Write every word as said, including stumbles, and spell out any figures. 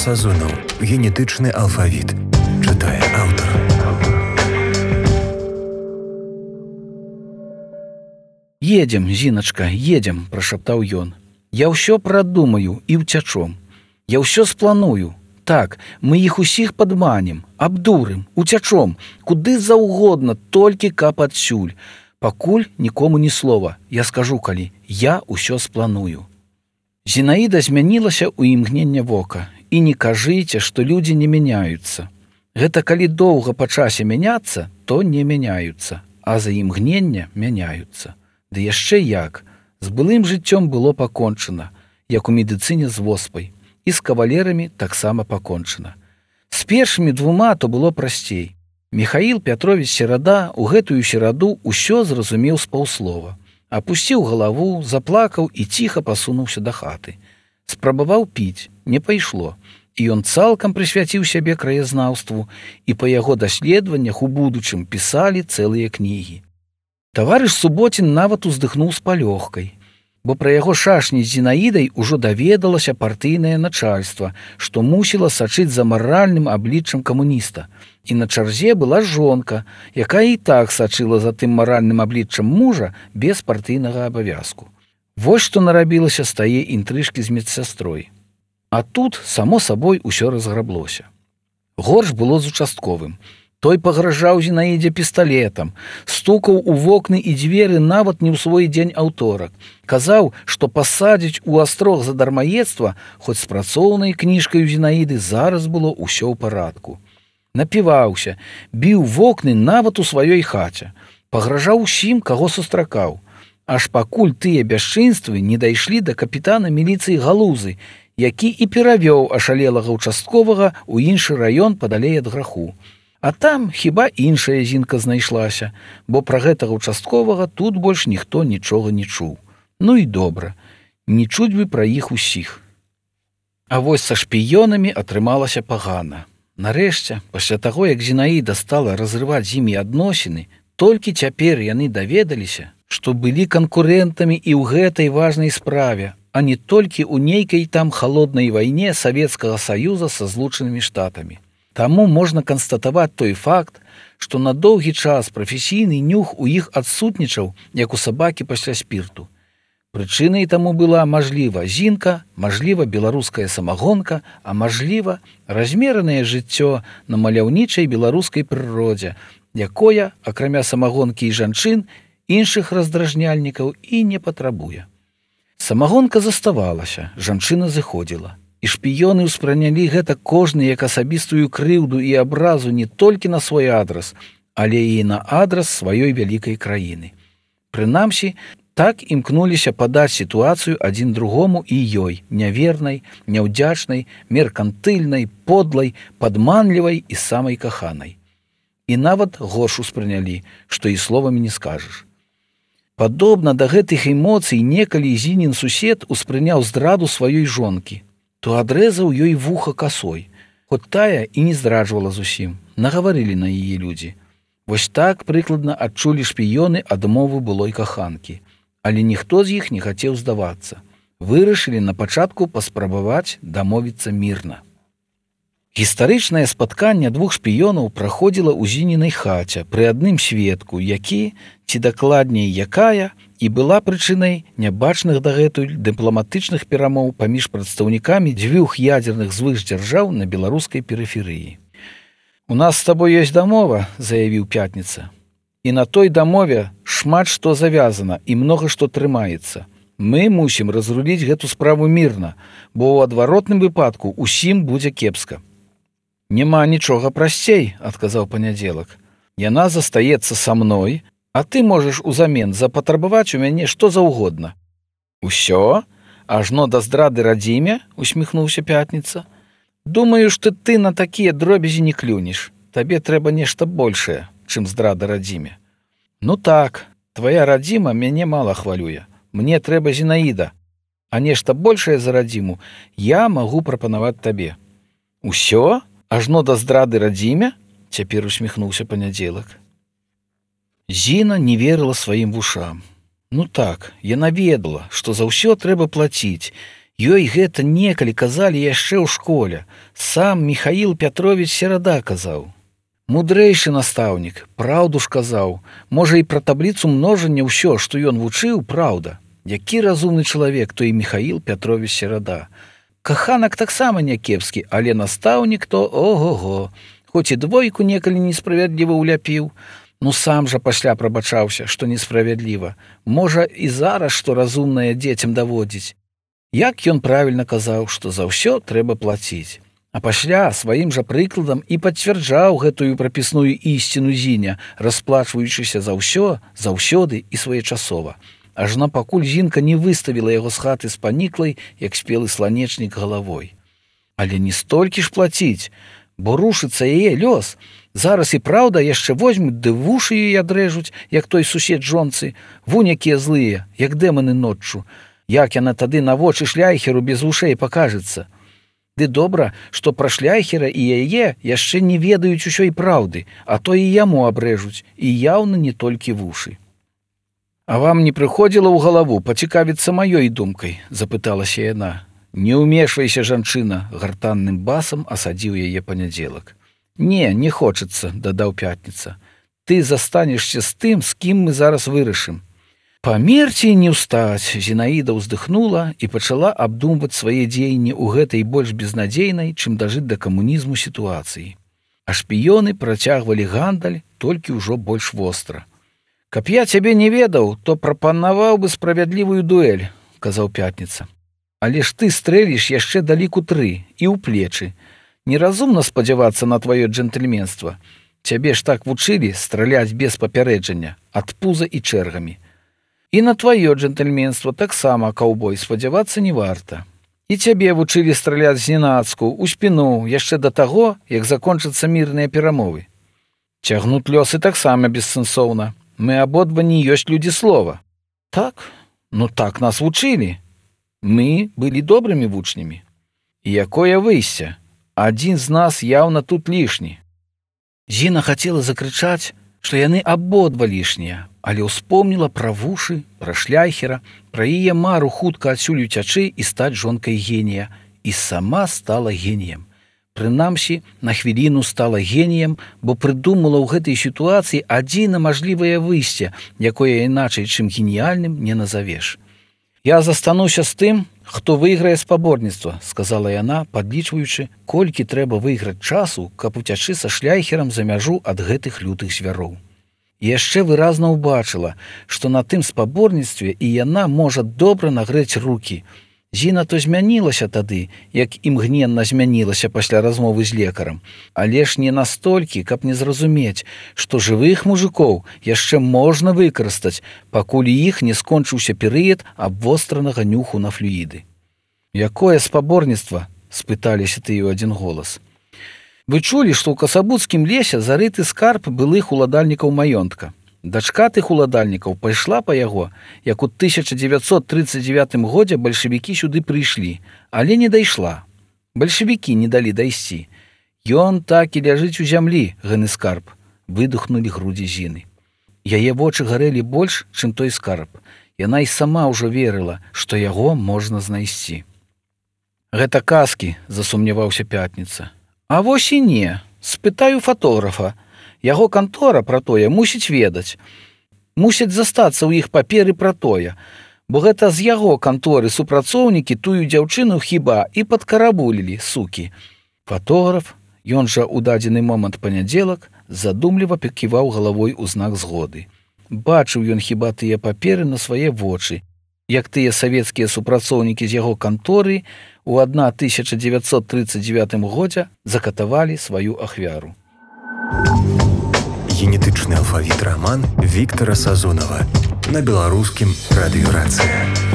Сазонаў. Генетычны алфавіт. Чытае аўтар. «Едем, Зіначка, едем», – прашаптаў ён. «Я ўсё прадумаю і ўцячом. Я ўсё спланую. Так, мы іх усіх падманем, абдурым, уцячом, куды заўгодна, толькі каб адсюль. Пакуль нікому ні слова, я скажу калі, я ўсё спланую». Зінаіда змянілася ў імгнення вока. І не кажыце, што людзі не мяняюцца. Гэта калі доўга па часе мяняцца, то не мяняюцца, а за імгнення мяняюцца. Ды яшчэ як. З былым жыццём было пакончана, як у медыцыне з воспай. І з кавалерамі таксама пакончана. З першымі двума то было прасцей. Міхаіл Пятровіч Серада ў гэтую сераду ўсё зразумеў з паўслова. Апусціў галаву, заплакаў і ціха пасунуўся да хаты. Спрабаваў піць, не пайшло. І ён цалкам прысвяціў сябе краязнаўству, і па яго даследаваннях у будучым пісалі цэлыя кнігі. Таварыш Суботін нават уздыхнуў з палёгкай, бо пра яго шашні з Зінаідай ужо даведалася партыйнае начальства, што мусіла сачыць за маральным абліччам камуніста. І на чарзе была жонка, якая і так сачыла за тым маральным абліччам мужа без партыйнага абавязку. Вось што нарабілася з тае інтрыжкі з медсястрой. А тут, само сабой, усё разграблося. Горш было з участковым. Той пагражаў Зінаідзе пісталетам, стукаў у вокны і дзверы нават не ў свой дзень аўторак. Казаў, што пасадзіць у астрог за дармаедства, хоць з працоўнай кніжкай у Зінаіды зараз было ўсё ў парадку. Напіваўся, біў вокны нават у сваёй хаце, пагражаў усім, каго сустракаў. Аж пакуль тыя бясчынствы не дайшлі да капітана міліцыі Галузы, які і перавёў ашалелага участковага ў іншы раён падалей ад граху. А там хіба іншая зінка знайшлася, бо пра гэтага участковага тут больш ніхто нічога не чуў. Ну і добра, не чуць бы пра іх усіх. А вось са шпіёнамі атрымалася пагана. Нарэшце, пасля таго, як Зінаіда стала разрываць з імі адносіны, толькі цяпер яны даведаліся, што былі канкурэнтамі і ў гэтай важнай справе, а не толькі ў нейкай там халоднай вайне Савецкага Саюза са Злучанымі Штатамі. Таму можна канстатаваць той факт, што на доўгі час прафесійны нюх у іх адсутнічаў, як у сабакі пасля спірту. Прычынай таму была, мажліва, зінка, мажліва, беларуская самагонка, а мажліва, размеранае жыццё на маляўнічай беларускай прыродзе, якое, акрамя самагонкі і жанчын, іншых раздражняльнікаў і не патрабуе. Самагонка заставалася, жанчына зыходзіла. І шпіёны ўспрынялі гэта кожны як асабістую крыўду і абразу не толькі на свой адрас, але і на адрас сваёй вялікай краіны. Прынамсі, так імкнуліся падаць сітуацыю адзін другому і ёй, нявернай, няўдзячнай, меркантыльнай, подлай, падманлівай і самай каханай. І нават горш успрынялі, што і словамі не скажаш. Падобна да гэтых эмоцый некалі Зінін сусед успрыняў здраду сваёй жонкі, то адрэзаў ёй вуха касой, хоць тая і не здраджвала зусім, нагаварылі на яе людзі. Вось так прыкладна адчулі шпіёны адмову былой каханкі. Але ніхто з іх не хацеў здавацца. Вырашылі на пачатку паспрабаваць дамовіцца мірна. Гістарычнае спатканне двух шпіёнаў праходзіла ў Зінінай хаце пры адным сведку, які, ці дакладней якая, і была прычынай нябачных дагэтуль дыпламатычных перамоў паміж прадстаўнікамі дзвюх ядзерных звышдзяржаў на беларускай перыферыі. «У нас з табой ёсць дамова», – заявіў Пятніца. «І на той дамове шмат што завязана і многа што трымаецца. Мы мусім разруліць гэту справу мірна, бо ў адваротным выпадку усім будзе кепска». «Няма нічога прасцей», – адказаў Панядзелак. «Яна застаецца са мной, а ты можаш узамен запатрабаваць у мяне што заўгодна». «Усё? Ажно да здрады радзіме?» – усміхнуўся Пятніца. «Думаю, што ты на такія дробязі не клюнеш. Табе трэба нешта большае, чым здрада радзіме». «Ну так, твая радзіма мяне мала хвалюе. Мне трэба Зінаіда, а нешта большае за радзіму я магу прапанаваць табе». «Усё? Ажно да здрады радзіме?» – цяпер усміхнуўся Панядзелак. Зіна не верыла сваім вушам. Ну так, яна ведала, што за ўсё трэба плаціць, Ёй гэта некалі казалі яшчэ ў школе. Сам Михаил Пятрович Серада казаў. Мудрэйшы настаўнік, праўду ж казаў. Можа, і пра табліцу множання ўсё, што ён вучыў, праўда. Які разумны чалавек той Михаил Пятрович Серада. Каханак таксама някепскі, але настаўнік то ого-го. Хоць і двойку некалі несправядліва ўляпіў, ну сам жа пасля прабачаўся, што несправядліва. Можа, і зараз што разумнае дзецям даводзіць. Як ён правільна казаў, што за ўсё трэба плаціць. А пасля сваім жа прыкладам і пацвярджаў гэтую прапісную ісціну Зіня, расплачваючыся за ўсё, заўсёды і своечасова. Ажно пакуль Зінка не выставіла яго з хаты з паніклай, як спелы сланечнік галавой. Але не столькі ж плаціць, бо рушыцца яе лёс. Зараз і праўда яшчэ возьмуць ды вушы яе адрэжуць, як той сусед жонцы, вунь якія злыя, як дэманы ноччу. Як яна тады на вочы шляйхеру без вушэй пакажецца. Ды добра, што пра шляйхера і яе яшчэ не ведаюць усёй праўды, а то і яму абрэжуць, і яўна не толькі вушы. А вам не прыходзіла ў галаву пацікавіцца маёй думкай, запыталася яна. Не ўмешвайся, жанчына, гартанным басам асадзіў яе панядзелак. Не, не хочацца, дадаў Пятніца. Ты застанешся з тым, з кім мы зараз вырашым. Памерці не ўстаць, Зінаіда ўздыхнула і пачала абдумваць свае дзеянні ў гэтай больш безнадзейнай, чым дажыць да камунізму сітуацыі. А шпіёны працягвалі гандаль, толькі ўжо больш востра. Каб я цябе не ведаў, то прапанаваў бы справядлівую дуэль, казаў Пятніца. Але ж ты стрэліш яшчэ да ліку тры і ў плечы. Неразумна спадзявацца на тваё джентльменства. Цябе ж так вучылі страляць без папярэджання, ад пуза і чэргамі. І на тваё джентльменства таксама, каўбой, спадзявацца не варта. І цябе вучылі страляць зненацку, у спіну, яшчэ да таго, як закончацца мірныя перамовы. Цягнуць лёсы таксама бессэнсоўна. Мы абодва не ёсць людзі слова. Так? Ну так нас вучылі. Мы былі добрымі вучнямі. І якое выйсце? Адзін з нас яўна тут лішні. Зіна хацела закрычаць, што яны абодва лішнія, але ўспомніла пра вушы, пра шляйхера, пра яе мару хутка адсюль уцячы і стаць жонкай генія, і сама стала геніем. Прынамсі, на хвіліну стала геніем, бо прыдумала ў гэтай сітуацыі адзіна мажлівае выйсце, якое іначай, чым геніяльным, не назавеш. «Я застануся з тым, хто выйграе спаборніцтва», – сказала яна, падлічваючы, колькі трэба выйграць часу, каб уцячы са шляйхерам за мяжу ад гэтых лютых звяроў. І яшчэ выразна ўбачыла, што на тым спаборніцтве і яна можа добра нагрэць рукі. Зіна то змянілася тады, як імгненна змянілася пасля размовы з лекарам, але ж не настолькі, каб не зразумець, што жывых мужикоў яшчэ можна выкарыстаць, пакуль іх не скончыўся перыяд абвостранага нюху на флюіды. «Якое спаборніцтва?» – спыталіся ты ў адзін голас. Вы чулі, што ў Касабуцкім лесе зарыты скарб былых уладальнікаў маёнтка. Дачка тых уладальнікаў пайшла па яго, як у тысяча дзевяцьсот трыццаць дзевятым годзе бальшавікі сюды прыйшлі, але не дайшла. Бальшавікі не далі дайсці. Ён так і ляжыць у зямлі, гэны скарб, выдохнулі грудзі Зіны. Яе вочы гарэлі больш, чым той скарб. Яна і сама ўжо верыла, што яго можна знайсці. Гэта казкі, засумняваўся Пятніца. А вось і не, спытаю фатографа. Яго кантора пра тое мусіць ведаць. Мусяць застацца ў іх паперы пра тое, бо гэта з яго канторы супрацоўнікі тую дзяўчыну хіба і падкарабулілі, сукі. Фатограф, ён жа ў дадзены момант панядзелак, задумліва паківаў галавой у знак згоды. Бачыў ён хіба тыя паперы на свае вочы, як тыя савецкія супрацоўнікі з яго канторы у тысяча дзевяцьсот трыццаць дзевятым годзе закатавалі сваю ахвяру. Генетычны алфавіт раман Віктара Сазонава на беларускім радыёрацыі.